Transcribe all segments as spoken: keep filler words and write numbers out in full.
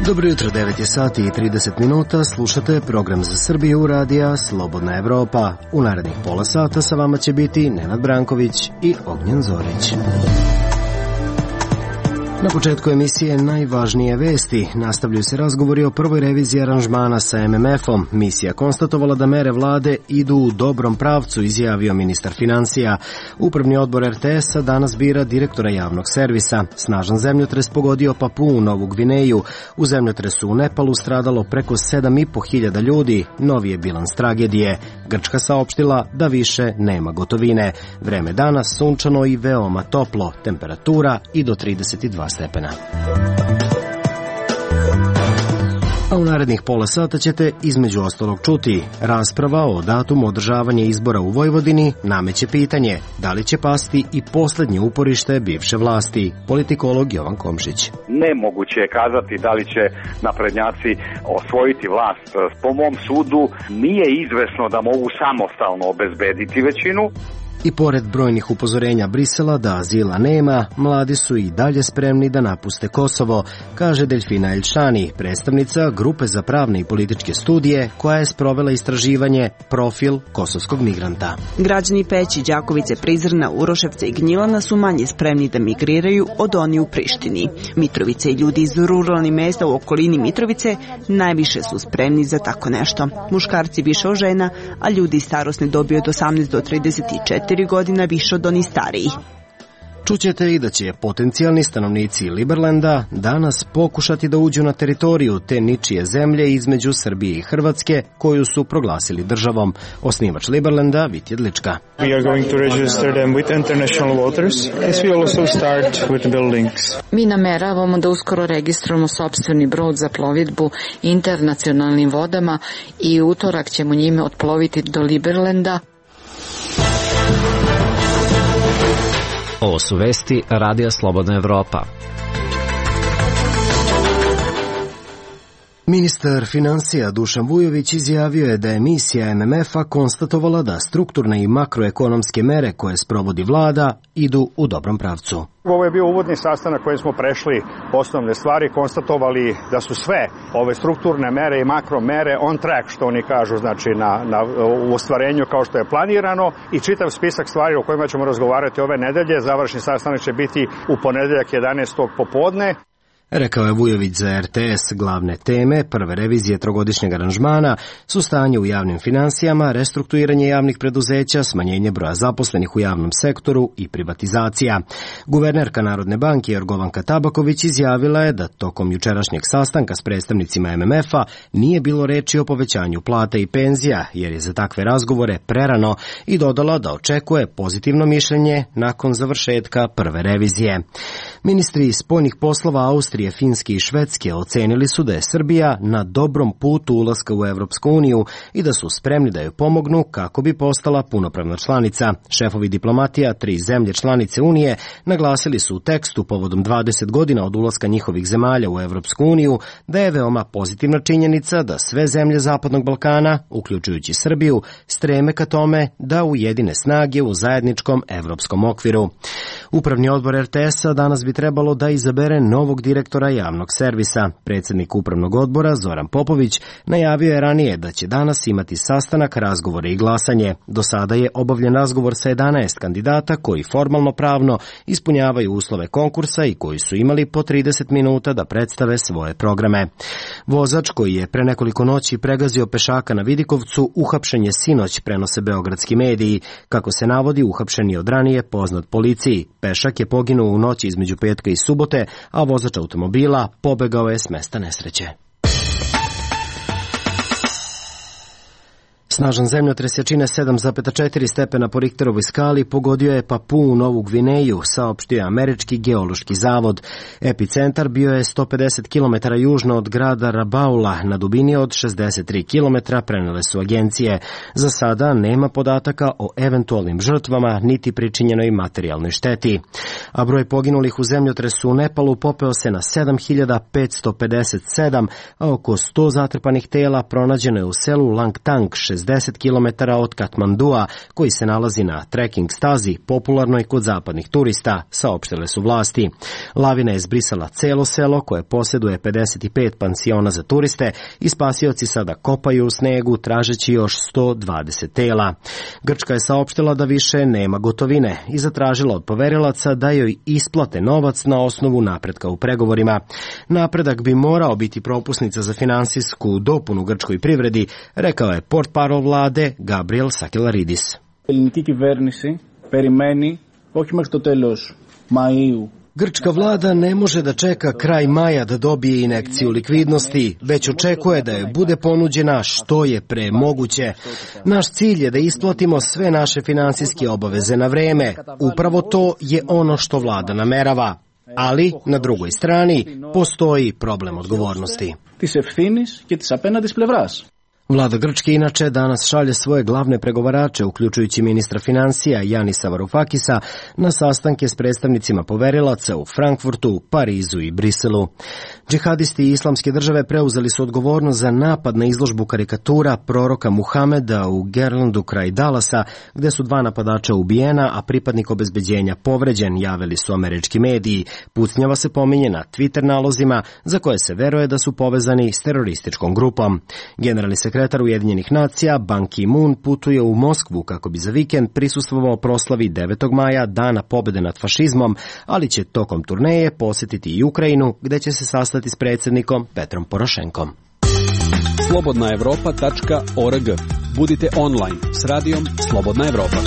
Dobro jutro, devet je sati i trideset minuta, slušate program za Srbiju radija Slobodna Evropa. U narednih pola sata sa vama će biti Nenad Branković i Ognjen Zorić. Na početku emisije najvažnije vesti. Nastavljaju se razgovori o prvoj reviziji aranžmana sa em em efom. Misija konstatovala da mere vlade idu u dobrom pravcu, izjavio ministar finansija. Upravni odbor er te es-a danas bira direktora javnog servisa. Snažan zemljotres pogodio Papuu, Novu Gvineju. U zemljotresu u Nepalu stradalo preko sedam i po hiljada ljudi. Novi je bilans tragedije. Grčka saopštila da više nema gotovine. Vreme danas sunčano i veoma toplo. Temperatura i do trideset dva stepena. A u narednih pola sata ćete između ostalog čuti rasprava o datumu održavanja izbora u Vojvodini nameće pitanje da li će pasti i poslednje uporište bivše vlasti. Politikolog Jovan Komšić. Nemoguće je kazati da li će naprednjaci osvojiti vlast. Po mom sudu nije izvesno da mogu samostalno obezbediti većinu. I pored brojnih upozorenja Brisela da azila nema, mladi su i dalje spremni da napuste Kosovo, kaže Delfina Elšani, predstavnica Grupe za pravne i političke studije koja je sprovela istraživanje Profil kosovskog migranta. Građani Peći, Đakovice, Prizrna, Uroševca i Gnjilana su manje spremni da migriraju od oni u Prištini. Mitrovice i ljudi iz ruralnih mesta u okolini Mitrovice najviše su spremni za tako nešto. Muškarci više od žena, a ljudi starosne dobi od osamnaest do trideset četiri godina više od onih starijih. Čućete i da će potencijalni stanovnici Liberlanda danas pokušati da uđu na teritoriju te ničije zemlje između Srbije i Hrvatske koju su proglasili državom. Osnivač Liberlanda, Vit Jedlička. We are going to register them with international waters, as we also start with buildings. Mi nameravamo da uskoro registrujemo sopstveni brod za plovidbu internacionalnim vodama i utorak ćemo njime otploviti do Liberlanda. Ovo su vesti Radija Slobodna Evropa. Ministar finansija Dušan Vujović izjavio je da je misija em em efa konstatovala da strukturne i makroekonomske mere koje sprovodi vlada idu u dobrom pravcu. Ovo je bio uvodni sastanak kojim smo prešli osnovne stvari, konstatovali da su sve ove strukturne mere i makromere on track, što oni kažu, znači na, na, u ostvarenju kao što je planirano, i čitav spisak stvari o kojima ćemo razgovarati ove nedelje. Završni sastanak će biti u ponedeljak jedanaestog popodne. Rekao je Vujović za er te es. Glavne teme prve revizije trogodišnjeg aranžmana su stanje u javnim finansijama, restrukturiranje javnih preduzeća, smanjenje broja zaposlenih u javnom sektoru i privatizacija. Guvernerka Narodne banke Jorgovanka Tabaković izjavila je da tokom jučerašnjeg sastanka s predstavnicima em em efa nije bilo reči o povećanju plata i penzija, jer je za takve razgovore prerano, i dodala da očekuje pozitivno mišljenje nakon završetka prve revizije. Ministri spoljnih poslova Austrije, Finske i Švedske ocenili su da je Srbija na dobrom putu ulaska u Evropsku uniju i da su spremni da joj pomognu kako bi postala punopravna članica. Šefovi diplomatija tri zemlje članice Unije naglasili su u tekstu povodom dvadeset godina od ulaska njihovih zemalja u Evropsku uniju da je veoma pozitivna činjenica da sve zemlje Zapadnog Balkana, uključujući Srbiju, streme ka tome da ujedine snage u zajedničkom evropskom okviru. Upravni odbor er te es-a danas bi trebalo da izabere novog direktora javnog servisa. Predsjednik upravnog odbora Zoran Popović najavio je ranije da će danas imati sastanak, razgovore i glasanje. Do sada je obavljen razgovor sa jedanaest kandidata koji formalno pravno ispunjavaju uslove konkursa i koji su imali po trideset minuta da predstave svoje programe. Vozač koji je pre nekoliko noći pregazio pešaka na Vidikovcu uhapšen je sinoć, prenose beogradski mediji. Kako se navodi, uhapšen je od ranije poznat policiji. Pešak je poginuo u noći između petka i subote, a vozač automobila pobegao je s mesta nesreće. Snažan zemljotres jačine sedam zarez četiri stepena po Richterovoj skali pogodio je Papuu Novu Gvineju, saopštio je Američki geološki zavod. Epicentar bio je sto pedeset kilometara južno od grada Rabaula, na dubini od šezdeset tri kilometra, prenele su agencije. Za sada nema podataka o eventualnim žrtvama niti pričinjenoj materijalnoj šteti. A broj poginulih u zemljotresu u Nepalu popeo se na sedam hiljada petsto pedeset sedam, a oko sto zatrpanih tela pronađeno je u selu Langtang, šezdeset kilometara od Katmandua, koji se nalazi na trekking stazi, popularnoj kod zapadnih turista, saopštile su vlasti. Lavina je zbrisala celo selo koje posjeduje pedeset pet pansiona za turiste i spasioci sada kopaju u snegu tražeći još sto dvadeset tela. Grčka je saopštila da više nema gotovine i zatražila od poverilaca da joj isplate novac na osnovu napretka u pregovorima. Napredak bi morao biti propusnica za finansijsku dopunu grčkoj privredi, rekao je portparol vlade Gabriel Sakelaridis. Ελληνική κυβέρνηση περιμένει όχι μέχρι το τέλος Μαΐου. Grčka vlada ne može da čeka kraj maja da dobije injekciju likvidnosti, već očekuje da joj bude ponuđena što je pre moguće. Naš cilj je da isplatimo sve naše finansijske obaveze na vreme. Upravo to je ono što vlada namerava. Ali, na drugoj strani, postoji problem odgovornosti. Της ευθύνης και της απέναντης πλευράς. Vlada Grčke inače danas šalje svoje glavne pregovarače, uključujući ministra financija Janisa Varoufakisa, na sastanke s predstavnicima poverilaca u Frankfurtu, Parizu i Briselu. Džihadisti islamske države preuzeli su odgovornost za napad na izložbu karikatura proroka Muhameda u Gerlandu kraj Dallasa, gde su dva napadača ubijena, a pripadnik obezbeđenja povređen, javili su američki mediji. Pucnjava se pominje na Twitter nalozima, za koje se veruje da su povezani s terorističkom grupom. Generalni sekretar Ujedinjenih nacija Ban Ki-moon putuje u Moskvu kako bi za vikend prisustvovao proslavi devetog maja, dana pobede nad fašizmom, ali će tokom turneje posjetiti i Ukrajinu, gde će se sastati s predsjednikom Petrom Porošenkom. slobodna evropa tačka org. Budite online s radijom Slobodna Evropa.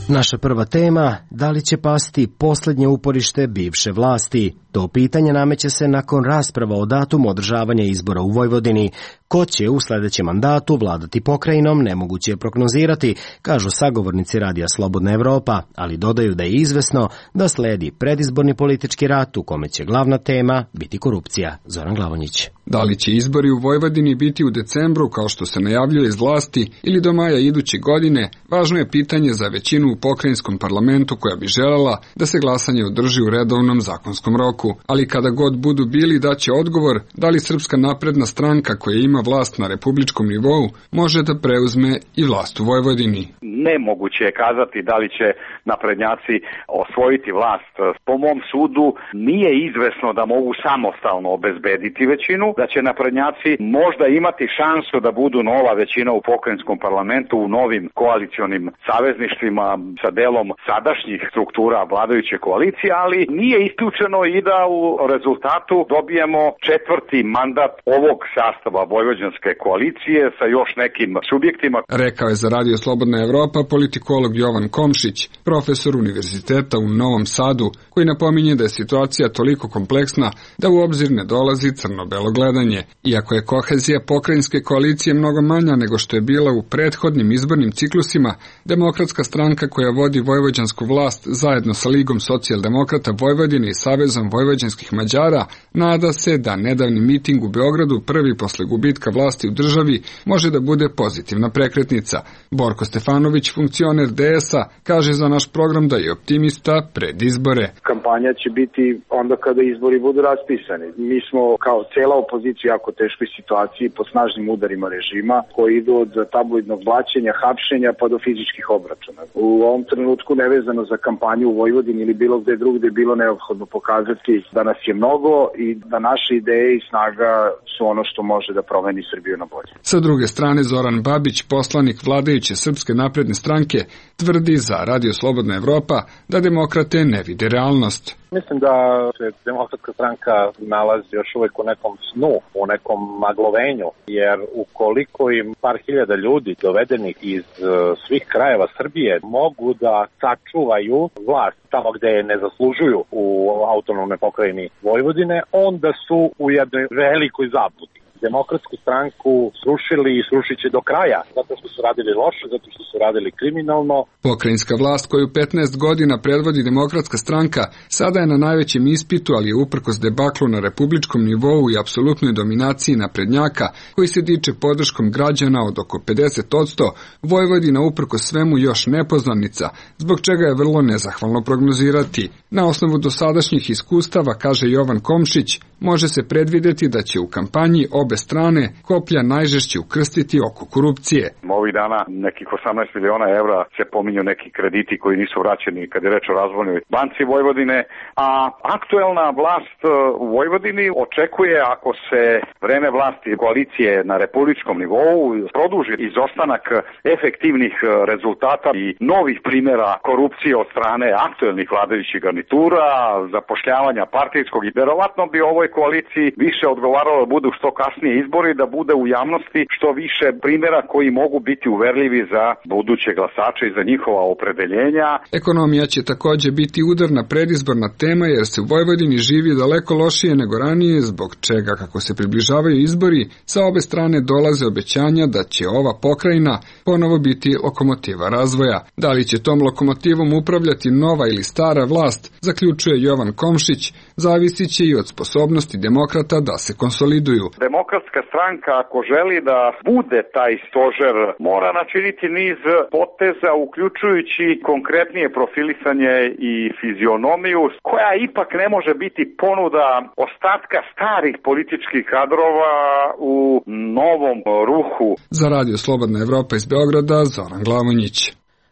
Naša prva tema, da li će pasti posljednje uporište bivše vlasti? To pitanje nameće se nakon rasprava o datumu održavanja izbora u Vojvodini. Ko će u sljedećem mandatu vladati pokrajinom, nemoguće je prognozirati, kažu sagovornici Radija Slobodna Evropa, ali dodaju da je izvesno da sledi predizborni politički rat u kome će glavna tema biti korupcija. Zoran Glavonjić. Da li će izbori u Vojvodini biti u decembru, kao što se najavljuje iz vlasti, ili do maja iduće godine, važno je pitanje za većinu u pokrajinskom parlamentu koja bi želela da se glasanje održi u redovnom zakonskom roku. Ali kada god budu bili, daće odgovor da li Srpska napredna stranka koja ima vlast na republičkom nivou može da preuzme i vlast u Vojvodini. Nemoguće je kazati da li će naprednjaci osvojiti vlast. Po mom sudu nije izvesno da mogu samostalno obezbediti većinu, da će naprednjaci možda imati šansu da budu nova većina u pokrajinskom parlamentu u novim koalicionim savezništvima sa delom sadašnjih struktura vladajuće koalicije, ali nije isključeno i da u rezultatu dobijemo četvrti mandat ovog sastava vojvođanske koalicije sa još nekim subjektima. Rekao je za Radio Slobodna Evropa politikolog Jovan Komšić, profesor univerziteta u Novom Sadu, koji napominje da je situacija toliko kompleksna da u obzir ne dolazi crno-belo gledanje. Iako je kohezija pokrajinske koalicije mnogo manja nego što je bila u prethodnim izbornim ciklusima, Demokratska stranka koja vodi vojvođansku vlast zajedno sa Ligom socijaldemokrata Vojvodine i Savezom vojvođanskih Mađara nada se da nedavni miting u Beogradu, prvi posle gubitka vlasti u državi, može da bude pozitivna prekretnica. Borko Stefanović, funkcioner D S-a, kaže za naš program da je optimista pred izbore. Kampanja će biti onda kada izbori budu raspisani. Mi smo kao cela opozicija jako teškoj situaciji pod snažnim udarima režima koji idu od tabloidnog blaćenja, hapšenja pa do fizičkih obračuna. U ovom trenutku nevezano za kampanju u Vojvodini ili bilo gde drugde je bilo neophodno pokazati da nas je mnogo i da naše ideje i snaga su ono što može da promeni Srbiju na bolje. Sa druge strane, Zoran Babić, poslanik vladajuće Srpske napredne stranke, tvrdi za Radio Slobodna Evropa da demokrate ne vide realnost. Mislim da se Demokratska stranka nalazi još uvijek u nekom snu, u nekom maglovenju, jer ukoliko im par hiljada ljudi dovedenih iz svih krajeva Srbije mogu da sačuvaju vlast tamo gde je ne zaslužuju u autonomnoj pokrajini Vojvodine, onda su u jednoj velikoj zabludi. Demokratsku stranku srušili i srušit će do kraja, zato što su radili loše, zato što su radili kriminalno. Pokrajinska vlast koju petnaest godina predvodi Demokratska stranka sada je na najvećem ispitu, ali je uprkos debaklu na republičkom nivou i apsolutnoj dominaciji naprednjaka, koji se diče podrškom građana od oko pedeset posto, Vojvodina uprkos svemu još nepoznanica, zbog čega je vrlo nezahvalno prognozirati. Na osnovu dosadašnjih iskustava, kaže Jovan Komšić, može se predvideti da će u kampanji obe strane koplja najžešće ukrstiti oko korupcije. Ovih dana nekih osamnaest miliona evra se pominju neki krediti koji nisu vraćeni kad je reč o Razvojnoj banci Vojvodine, a aktuelna vlast u Vojvodini očekuje, ako se vreme vlasti koalicije na republičkom nivou produži izostanak efektivnih rezultata i novih primjera korupcije od strane aktuelnih vladajućih garnitura, zapošljavanja partijskog, i verovatno bi ovoj koaliciji više odgovaralo da budu što kasnije izbori, da bude u javnosti što više primjera koji mogu biti uverljivi za buduće glasače i za njihova opredeljenja. Ekonomija će također biti udarna predizborna tema, jer se u Vojvodini živi daleko lošije nego ranije, zbog čega, kako se približavaju izbori, sa obe strane dolaze obećanja da će ova pokrajina ponovo biti lokomotiva razvoja. Da li će tom lokomotivom upravljati nova ili stara vlast, zaključuje Jovan Komšić, zavisit će i od sposobnosti demokrata da se konsoliduju. Demokratska stranka, ako želi da bude taj stožer, mora načiniti niz poteza, uključujući konkretnije profilisanje i fizionomiju, koja ipak ne može biti ponuda ostatka starih političkih kadrova u novom ruhu. Za Radio Slobodna Evropa iz Beograda, Zoran Glavonjić.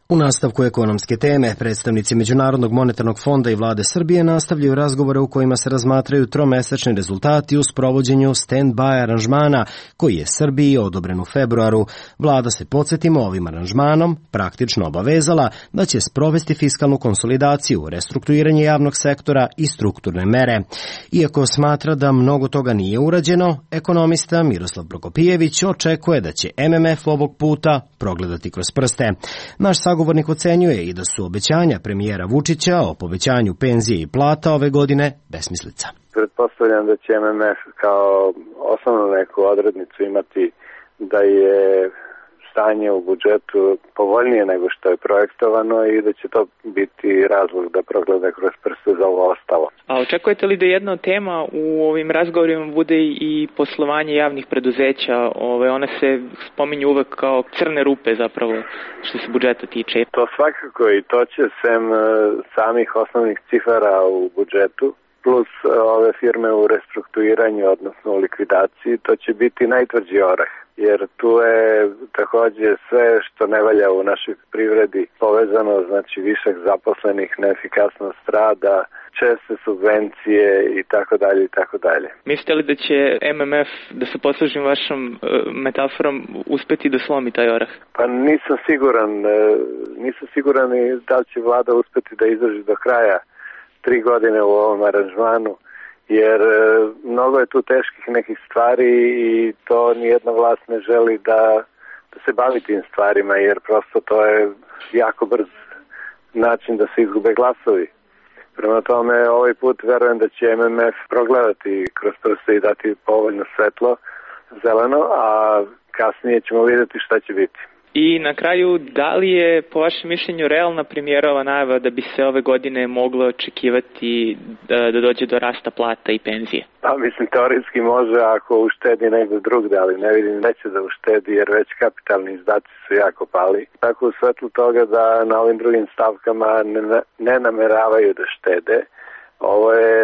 U nastavku ekonomske teme, predstavnici Međunarodnog monetarnog fonda i vlade Srbije nastavljaju razgovore u kojima se razmatraju tromesečni rezultati u sprovođenju stand-by aranžmana koji je Srbiji odobren u februaru. Vlada se, podsjetimo, ovim aranžmanom praktično obavezala da će sprovesti fiskalnu konsolidaciju, restrukturiranje javnog sektora i strukturne mere. Iako smatra da mnogo toga nije urađeno, ekonomista Miroslav Prokopijević očekuje da će M M F ovog puta progledati kroz prste. Naš sagovornik ocenjuje i da su obećanja premijera Vučića o povećanju penzije i plata ove godine besmislica. Pretpostavljam da će M M F kao osnovnu neku odrednicu imati da je stanje u budžetu povoljnije nego što je projektovano i da će to biti razlog da progleda kroz prste za ovo ostalo. A očekujete li da jedna od tema u ovim razgovorima bude i poslovanje javnih preduzeća? Ove, one se spominju uvek kao crne rupe zapravo što se budžeta tiče. To svakako, i to će sem samih osnovnih cifara u budžetu plus ove firme u restrukturiranju, odnosno u likvidaciji, to će biti najtvrđi orah. Jer tu je također sve što ne valja u našoj privredi povezano, znači višak zaposlenih, neefikasnost rada, česte subvencije i tako dalje i tako dalje. Mislite li da će M M F, da se poslužim vašom uh, metaforom, uspeti da slomi taj orah? Pa nisam siguran, nisam siguran i da li će vlada uspeti da izdrži do kraja tri godine u ovom aranžmanu, jer mnogo je tu teških nekih stvari i to nijedna vlast ne želi da, da se bavi tim stvarima, jer prosto to je jako brz način da se izgube glasovi. Prema tome, ovaj put verujem da će M M F progledati kroz prste i dati povoljno svetlo, zeleno, a kasnije ćemo vidjeti šta će biti. I na kraju, da li je po vašem mišljenju realna premijerova najava da bi se ove godine moglo očekivati da, da dođe do rasta plata i penzije? Pa mislim, teoretski može ako uštedi negdje drugde, ali ne vidim neće da uštedi jer već kapitalni izdaci su jako pali. Tako u svetlu toga da na ovim drugim stavkama ne, ne nameravaju da štede. Ovo je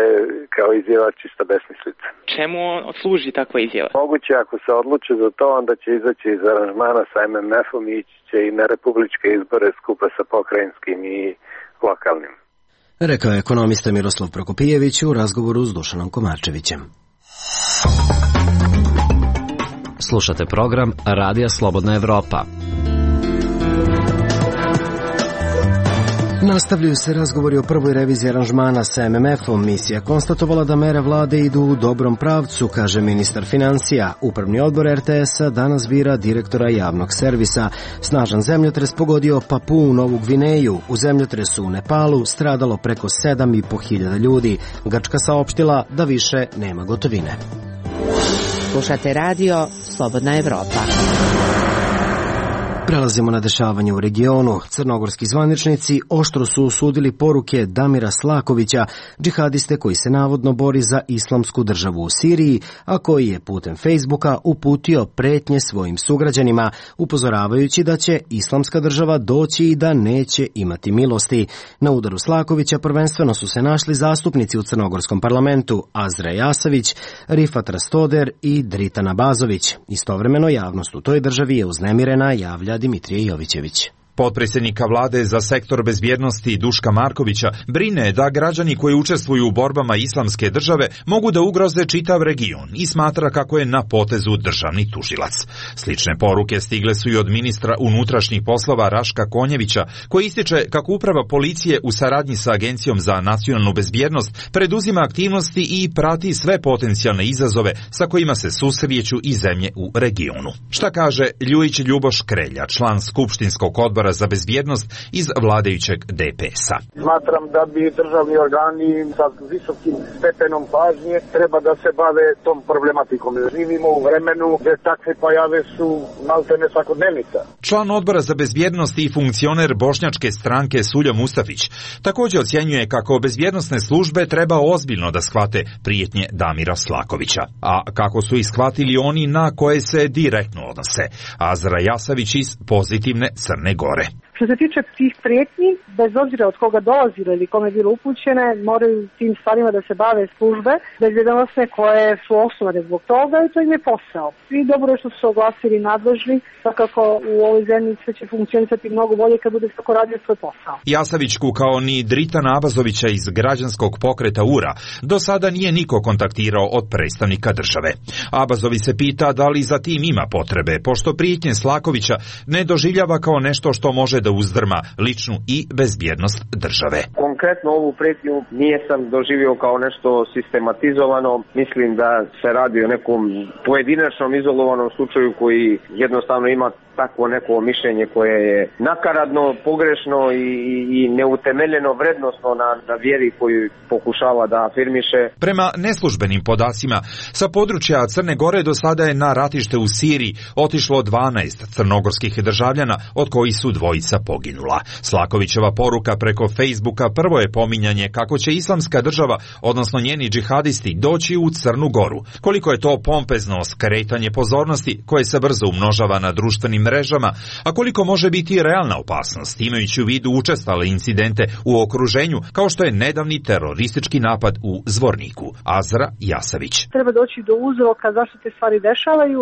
kao izjava čista besmislica. Čemu služi takva izjava? Moguće ako se odluče za to, onda će izaći iz aranžmana sa M M F-om i ići će i na republičke izbore skupa sa pokrajinskim i lokalnim. Rekao je ekonomista Miroslav Prokopijević u razgovoru s Dušanom Komarčevićem. Slušate program Radija Slobodna Evropa. Nastavljaju se razgovori o prvoj reviziji aranžmana sa M M F-om. Misija konstatovala da mere vlade idu u dobrom pravcu, kaže ministar financija. Upravni odbor R T S-a danas bira direktora javnog servisa. Snažan zemljotres pogodio Papuu Novu Gvineju. U zemljotresu u Nepalu stradalo preko sedam i po hiljada ljudi. Grčka saopštila da više nema gotovine. Slušate radio Slobodna Evropa. Prelazimo na dešavanje u regionu. Crnogorski zvaničnici oštro su osudili poruke Damira Slakovića, džihadiste koji se navodno bori za islamsku državu u Siriji, a koji je putem Facebooka uputio pretnje svojim sugrađanima, upozoravajući da će islamska država doći i da neće imati milosti. Na udaru Slakovića prvenstveno su se našli zastupnici u crnogorskom parlamentu Azra Jasavić, Rifat Rastoder i Dritan Bazović. Istovremeno javnost u toj državi je uznemirena, javlja Dimitrije Jovićević. Potpredsjednika vlade za sektor bezbjednosti Duška Markovića brine da građani koji učestvuju u borbama islamske države mogu da ugroze čitav region i smatra kako je na potezu državni tužilac. Slične poruke stigle su i od ministra unutrašnjih poslova Raška Konjevića, koji ističe kako uprava policije u saradnji sa Agencijom za nacionalnu bezbjednost preduzima aktivnosti i prati sve potencijalne izazove sa kojima se susreću i zemlje u regionu. Šta kaže Ljujić Ljuboš Krelja, član skupštinskog odbora za bezbjednost iz vladajućeg D P S-a. Smatram da bi državni organi sa visokim stepenom pažnje treba da se bave tom problematikom. Živimo u vremenu gdje takve pojave su maltene svakodnevnica. Član odbora za bezbjednost i funkcioner bošnjačke stranke Suljo Mustafić također ocjenjuje kako bezbjednosne službe treba ozbiljno da shvate prijetnje Damira Slakovića, a kako su ih shvatili oni na koje se direktno odnose. Azra Jasavić iz Pozitivne Crne Gore. Što se tiče tih prijetnji, bez obzira od koga dolazile ili kome je bilo upućene, moraju tim stvarima da se bave službe bezbjednosne koje su osnovane zbog toga i to im je posao. I dobro je što su se oglasili nadležni, tako u ovoj zemlji sve će funkcionisati mnogo bolje kad bude svako radio svoj posao. Jasavićku kao ni Dritana Abazovića iz građanskog pokreta U R A do sada nije niko kontaktirao od predstavnika države. Abazovi se pita da li za tim ima potrebe, pošto prijetnje Slakovića ne doživljava kao nešto što može da uzdrma ličnu i bezbjednost države. Konkretno ovu prijetnju nije sam doživio kao nešto sistematizovano. Mislim da se radi o nekom pojedinačnom izolovanom slučaju koji jednostavno ima takvo neko mišljenje koje je nakaradno, pogrešno i, i neutemeljeno vrednosno na, na vjeri koju pokušava da afirmiše. Prema neslužbenim podacima, sa područja Crne Gore do sada je na ratište u Siriji otišlo dvanaest crnogorskih državljana, od kojih su dvojica poginula. Slakovićeva poruka preko Facebooka prvo je pominjanje kako će islamska država, odnosno njeni džihadisti, doći u Crnu Goru. Koliko je to pompezno skretanje pozornosti koje se brzo umnožava na društvenim mrežama, a koliko može biti realna opasnost, imajući u vidu učestale incidente u okruženju, kao što je nedavni teroristički napad u Zvorniku. Azra Jasavić. Treba doći do uzroka zašto te stvari dešavaju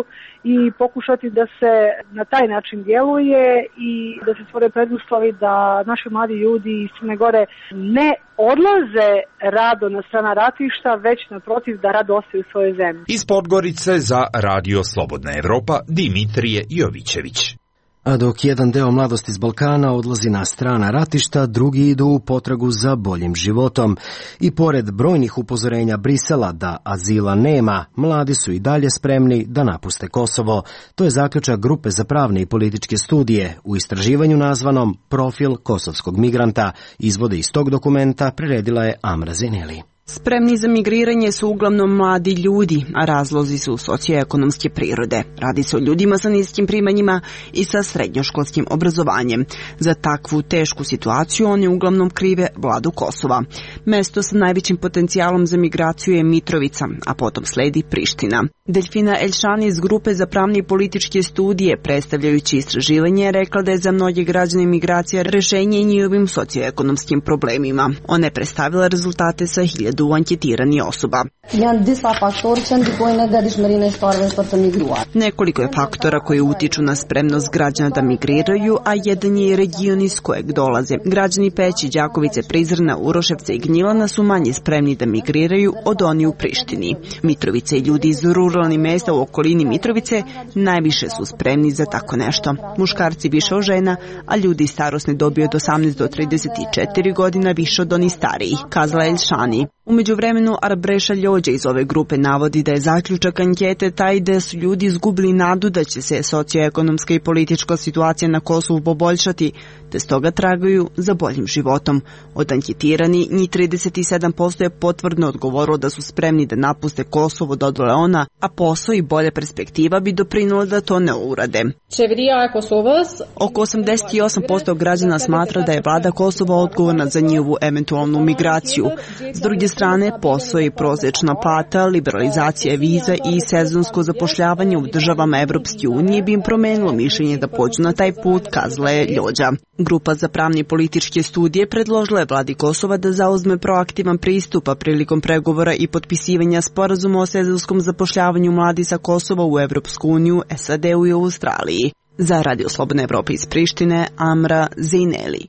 i pokušati da se na taj način djeluje i da se stvore preduslovi da naši mladi ljudi iz Crne Gore ne odlaze rado na strana ratišta, već naprotiv da rado ostaju u svojoj zemlji. Iz Podgorice za Radio Slobodna Evropa, Dimitrije Jovićević. A dok jedan deo mladosti iz Balkana odlazi na strana ratišta, drugi idu u potragu za boljim životom. I pored brojnih upozorenja Brisela da azila nema, mladi su i dalje spremni da napuste Kosovo. To je zaključak Grupe za pravne i političke studije u istraživanju nazvanom Profil kosovskog migranta. Izvode iz tog dokumenta priredila je Amra Zeneli. Spremni za migriranje su uglavnom mladi ljudi, a razlozi su socioekonomske prirode. Radi se o ljudima sa niskim primanjima i sa srednjoškolskim obrazovanjem. Za takvu tešku situaciju oni uglavnom krive vladu Kosova. Mesto sa najvećim potencijalom za migraciju je Mitrovica, a potom sledi Priština. Delfina Elšani iz Grupe za pravne i političke studije, predstavljajući istraživanje, rekla da je za mnoge građane migracija rešenje njihovim socioekonomskim problemima. Ona je predstavila rezultate sa hiljadu anketiranih osoba. Nekoliko je faktora koji utiču na spremnost građana da migriraju, a jedan je region iz kojeg dolaze. Građani Peći, Đakovice, Prizrena, Uroševca i Gnjilana su manje spremni da migriraju od oni u Prištini. Mitrovice i ljudi iz ruralnih mesta u okolini Mitrovice najviše su spremni za tako nešto. Muškarci više od žena, a ljudi starosne dobi od osamnaest do trideset četiri godina više od onih starijih, kazala Elšani. U međuvremenu Arbreša Ljođa iz ove grupe navodi da je zaključak ankete taj da su ljudi izgubili nadu da će se socioekonomska i politička situacija na Kosovu poboljšati, te stoga tragaju za boljim životom. Od anketirani, njih trideset sedam posto je potvrdno odgovorilo da su spremni da napuste Kosovo, dodala ona, a posao i bolja perspektiva bi doprinula da to ne urade. Oko osamdeset osam posto građana smatra da je vlada Kosova odgovorna za njihovu eventualnu migraciju. S druge strane, posao i prosječna plata, liberalizacija viza i sezonsko zapošljavanje u državama Evropske unije bi im promenilo mišljenje da pođu na taj put, kazala je Ljođa. Grupa za pravne i političke studije predložila je vladi Kosova da zauzme proaktivan pristup prilikom pregovora i potpisivanja sporazuma o sezonskom zapošljavanju mladi sa Kosova u Evropsku uniju, S A D-u i Australiji. Za Radio Slobodna Evropa iz Prištine, Amra Zejneli.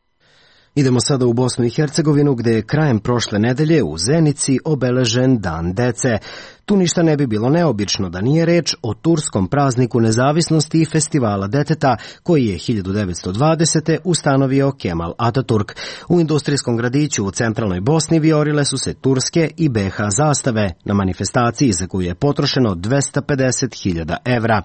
Idemo sada u Bosnu i Hercegovinu, gde je krajem prošle nedelje u Zenici obeležen Dan dece. Tu ništa ne bi bilo neobično da nije reč o turskom prazniku nezavisnosti i festivala deteta koji je hiljadu devetsto dvadesete. ustanovio Kemal Ataturk. U industrijskom gradiću u centralnoj Bosni viorile su se turske i B H zastave na manifestaciji za koju je potrošeno dvesta pedeset hiljada evra.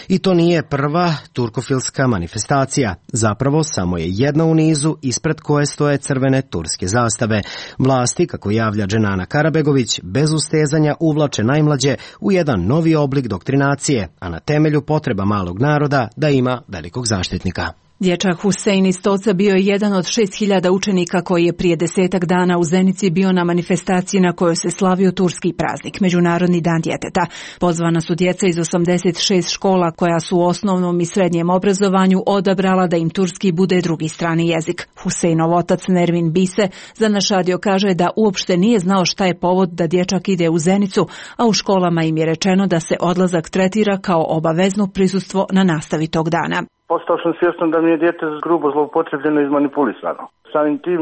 I to nije prva turkofilska manifestacija. Zapravo samo je jedna u nizu ispred koje stoje crvene turske zastave. Vlasti, kako javlja Dženana Karabegović, bez ustezanja uvlače najmlađe u jedan novi oblik doktrinacije, a na temelju potreba malog naroda da ima velikog zaštitnika. Dječak Husein iz Toca bio je jedan od šest hiljada učenika koji je prije desetak dana u Zenici bio na manifestaciji na kojoj se slavio turski praznik, Međunarodni dan djeteta. Pozvana su djeca iz osamdeset šest škola koja su u osnovnom i srednjem obrazovanju odabrala da im turski bude drugi strani jezik. Huseinov otac Nervin Bise za naš radio kaže da uopšte nije znao šta je povod da dječak ide u Zenicu, a u školama im je rečeno da se odlazak tretira kao obavezno prisustvo na nastavi tog dana. Postao sam svjestan da mi je dijete grubo zloupotrebljeno i izmanipulisano. Samim tim,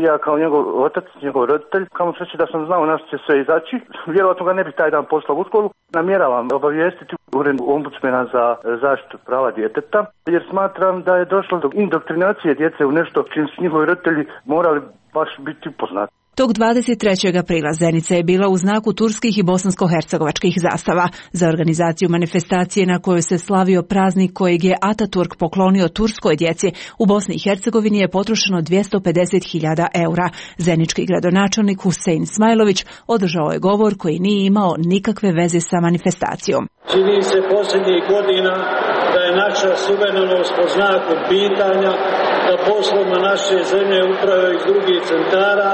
ja kao njegov otac, njegov roditelj, kamo sreći da sam znao na što će sve izaći, vjerojatno ga ne bi taj dan poslao u školu. Namjeravam obavijestiti ured ombudsmena za zaštitu prava djeteta, jer smatram da je došlo do indoktrinacije djece u nešto čim su njihovi roditelji morali baš biti upoznati. Tog dvadeset trećeg aprila Zenica je bila u znaku turskih i bosansko-hercegovačkih zastava. Za organizaciju manifestacije na kojoj se slavio praznik kojeg je Ataturk poklonio turskoj djeci u Bosni i Hercegovini je potrošeno dvjesto pedeset hiljada eura. Zenički gradonačelnik Husein Smajlović održao je govor koji nije imao nikakve veze sa manifestacijom. Čini se posljednjih godina da je naša suverenost po znaku pitanja, da poslom naše zemlje upravljaju iz drugih centara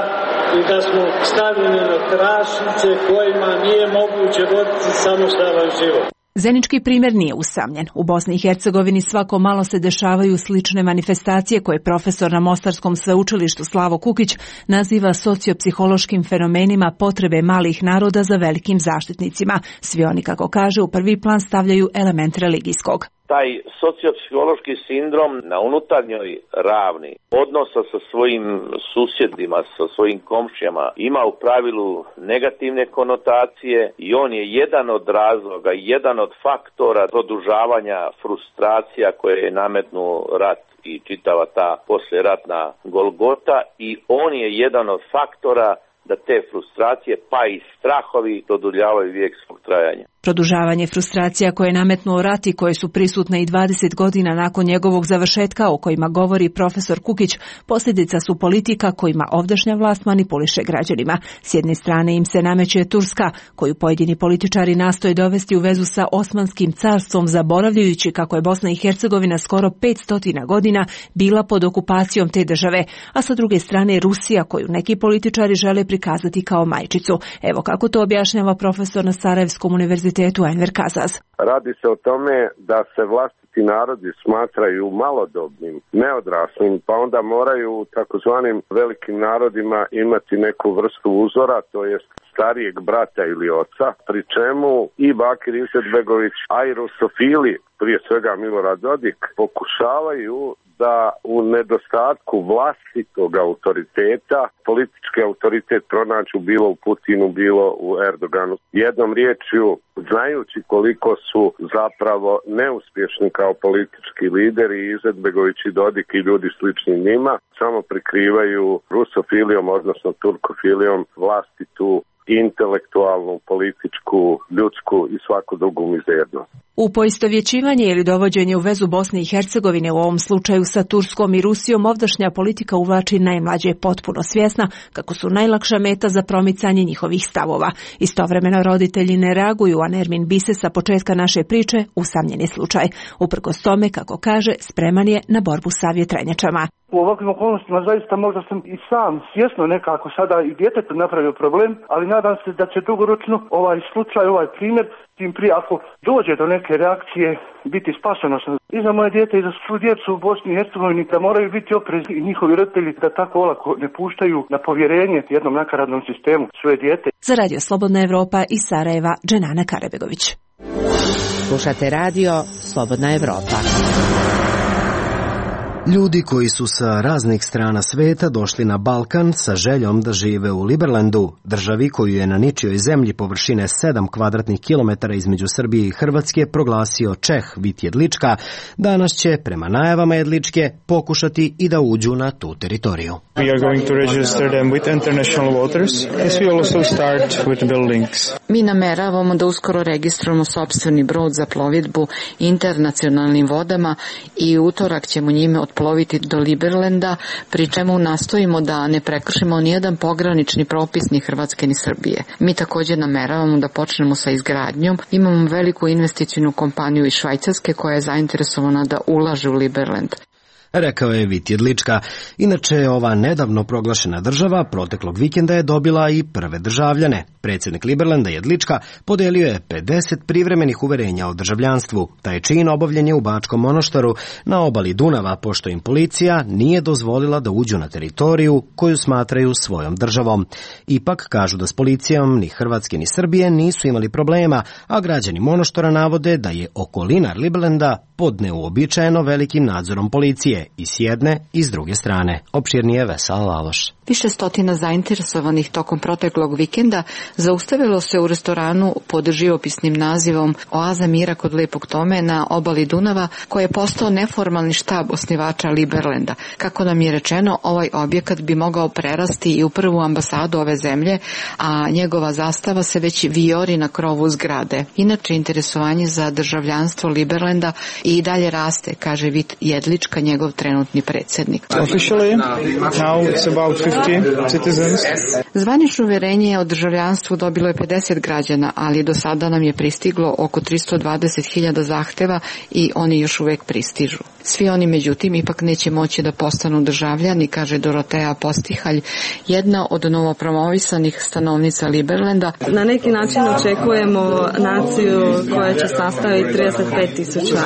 i da smo stavljeni na tračnice kojima nije moguće voditi samostalan život. Zenički primjer nije usamljen. U Bosni i Hercegovini svako malo se dešavaju slične manifestacije koje profesor na Mostarskom sveučilištu Slavo Kukić naziva sociopsihološkim fenomenima potrebe malih naroda za velikim zaštitnicima. Svi oni, kako kaže, u prvi plan stavljaju element religijskog. Taj sociopsihološki sindrom na unutarnjoj ravni odnosa sa svojim susjedima, sa svojim komšijama ima u pravilu negativne konotacije i on je jedan od razloga, jedan od faktora produžavanja frustracija koje je nametnuo rat i čitava ta posleratna Golgota i on je jedan od faktora da te frustracije pa i strahovi produljavaju vijek svog trajanja. Produžavanje frustracija koje je nametnuo rat i koje su prisutne i dvadeset godina nakon njegovog završetka, o kojima govori profesor Kukić, posljedica su politika kojima ovdašnja vlast manipuliše građanima. S jedne strane im se nameće Turska, koju pojedini političari nastoje dovesti u vezu sa Osmanskim carstvom, zaboravljajući kako je Bosna i Hercegovina skoro petsto godina bila pod okupacijom te države, a sa druge strane Rusija, koju neki političari žele prikazati kao majčicu. Evo kako to objašnjava profesor na Sarajevskom univerzitetu Enver Kazaz. Radi se o tome da se vlastiti narodi smatraju malodobnim, neodraslim, pa onda moraju u takozvanim velikim narodima imati neku vrstu uzora, to jest starijeg brata ili oca, pri čemu i Bakir Izetbegović, a i rusofili, prije svega Milorad Dodik, pokušavaju da u nedostatku vlastitog autoriteta, politički autoritet pronaću bilo u Putinu, bilo u Erdoganu. Jednom riječju, znajući koliko su zapravo neuspješni kao politički lideri, Izetbegović i Dodik i ljudi slični njima, samo prikrivaju rusofilijom, odnosno turkofilijom, vlastitu intelektualnu, političku, ljudsku i svaku drugu mizernost. U poistovjećivanje ili dovođenje u vezu Bosne i Hercegovine, u ovom slučaju sa Turskom i Rusijom, ovdašnja politika uvlači najmlađe potpuno svjesna kako su najlakša meta za promicanje njihovih stavova. Istovremeno roditelji ne reaguju, a Nermin Bise sa početka naše priče usamljeni slučaj. Uprkos tome, kako kaže, spreman je na borbu sa vjetrenjačama. U ovakvim okolnostima zaista možda sam i sam svjesno nekako sada i djetetu napravio problem, ali nadam se da će dugoročno ovaj slučaj, ovaj primjer, tim prije ako dođe do neke reakcije, biti spasonosno i za moje dijete i za svu djecu u Bosni i Hercegovini, da moraju biti oprezni i njihovi roditelji da tako olako ne puštaju na povjerenje jednom nakaradnom sistemu svoje dijete. Za Radio Slobodna Evropa iz Sarajeva, Dženana Karebegović. Slušate radio Slobodna Evropa. Ljudi koji su sa raznih strana sveta došli na Balkan sa željom da žive u Liberlandu, državi koju je na ničijoj zemlji površine sedam kvadratnih kilometara između Srbije i Hrvatske proglasio Čeh Vit Jedlička, danas će, prema najavama Jedličke, pokušati i da uđu na tu teritoriju. We are going to register them with international waters, as we also start with buildings. Mi nameravamo da uskoro registrujemo sopstveni brod za plovidbu internacionalnim vodama i utorak ćemo njime otploviti do Liberlanda, pri čemu nastojimo da ne prekršimo nijedan pogranični propis ni Hrvatske ni Srbije. Mi također nameravamo da počnemo sa izgradnjom. Imamo veliku investicijnu kompaniju iz Švajcarske koja je zainteresovana da ulaže u Liberland. Rekao je Vit Jedlička. Inače, ova nedavno proglašena država proteklog vikenda je dobila i prve državljane. Predsjednik Liberlanda Jedlička podelio je pedeset privremenih uverenja o državljanstvu. Taj čin obavljen je u Bačkom Monoštoru na obali Dunava, pošto im policija nije dozvolila da uđu na teritoriju koju smatraju svojom državom. Ipak kažu da s policijom ni Hrvatske ni Srbije nisu imali problema, a građani Monoštora navode da je okolina Liberlanda pod neuobičajeno velikim nadzorom policije i s jedne i s druge strane. Opširnije Vesela Laloš. Više stotina zainteresovanih tokom proteklog vikenda zaustavilo se u restoranu pod živopisnim nazivom Oaza mira kod Lepog Tome na obali Dunava, koji je postao neformalni štab osnivača Liberlanda. Kako nam je rečeno, ovaj objekat bi mogao prerasti i u prvu ambasadu ove zemlje, a njegova zastava se već vijori na krovu zgrade. Inače, interesovanje za državljanstvo Liberlanda i dalje raste, kaže Vit Jedlička, njegov trenutni predsjednik. Officially, now it's about fifty citizens. Zvanično uvjerenje o državljanstvu dobilo je pedeset građana, ali do sada nam je pristiglo oko tristo dvadeset hiljada zahteva i oni još uvijek pristižu. Svi oni, međutim, ipak neće moći da postanu državljani, kaže Doroteja Postihalj, jedna od novopromovisanih stanovnica Liberlanda. Na neki način očekujemo naciju koja će sastaviti trideset pet tisuća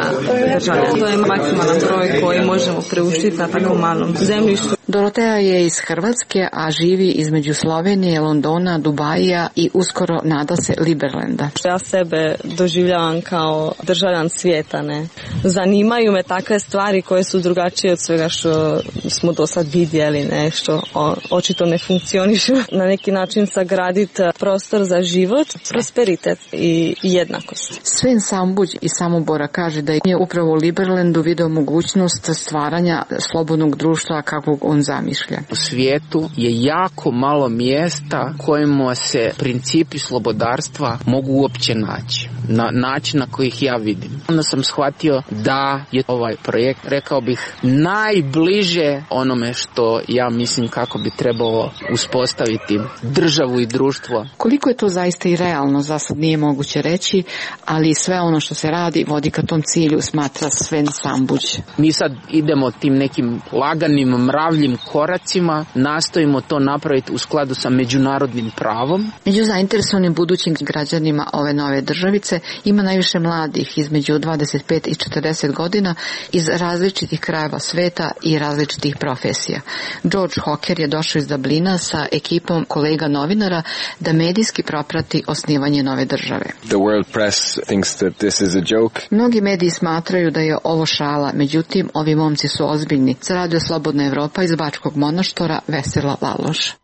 državljana. To je maksimalan broj koji možemo preuštiti na tako malom zemljištu. Doroteja je iz Hrvatske, a živi između Slovenije, Londona, Dubaija i uskoro nada se Liberlanda. Ja sebe doživljavam kao državljan svijeta, ne. Zanimaju me takve stvari koje su drugačije od svega što smo do sad vidjeli, nešto očito ne funkcioniše. Na neki način sagraditi prostor za život, prosperitet i jednakost. Sven Sambuđ iz Samobora kaže da je upravo u Liberlandu video mogućnost stvaranja slobodnog društva kakvog on zamišlja. U svijetu je jako malo mjesta kojima se principi slobodarstva mogu uopće naći. Na način na koji ih ja vidim. Onda sam shvatio da je ovaj projekt, rekao bih, najbliže onome što ja mislim kako bi trebalo uspostaviti državu i društvo. Koliko je to zaista i realno, za sad nije moguće reći, ali sve ono što se radi vodi ka tom cilju, smatra Sven Sambuđ. Mi sad idemo tim nekim laganim, mravljim koracima, nastojimo to napraviti u skladu sa međunarodnim pravom. Među zainteresovanim budućim građanima ove nove državice ima najviše mladih između dvadeset pet i četrdeset godina iz različitih krajeva sveta i različitih profesija. George Hocker je došao iz Dublina sa ekipom kolega novinara da medijski proprati osnivanje nove države. The world press thinks that this is a joke. Mnogi mediji smatraju da je ovo šala, međutim, ovi momci su ozbiljni. Za Radio Slobodna Evropa iz Bačkog Monoštora, Vesela Laloš.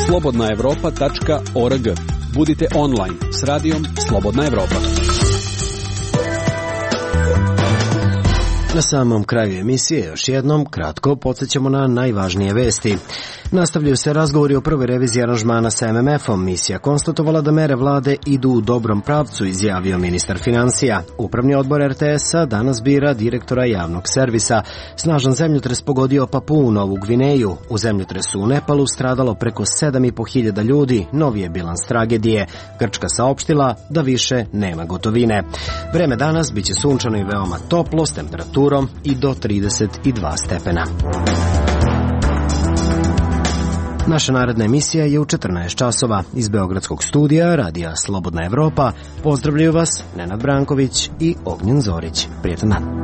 slobodna evropa tačka org. Budite online s radijom Slobodna Evropa. Na samom kraju emisije još jednom kratko podsjećamo na najvažnije vesti. Nastavljaju se razgovori o prvoj reviziji aranžmana sa em em efom. Misija konstatovala da mere vlade idu u dobrom pravcu, izjavio ministar financija. Upravni odbor er te esa danas bira direktora javnog servisa. Snažan zemljotres pogodio Papuu Novu Gvineju. U zemljotresu u Nepalu stradalo preko sedam i po hiljada ljudi. Novi je bilans tragedije. Grčka saopštila da više nema gotovine. Vreme danas biće sunčano i veoma toplo s temperaturom i do trideset dva stepena. Naša naredna emisija je u četrnaest časova. Iz Beogradskog studija Radija Slobodna Evropa pozdravljaju vas Nenad Branković i Ognjen Zorić. Prijetan dan.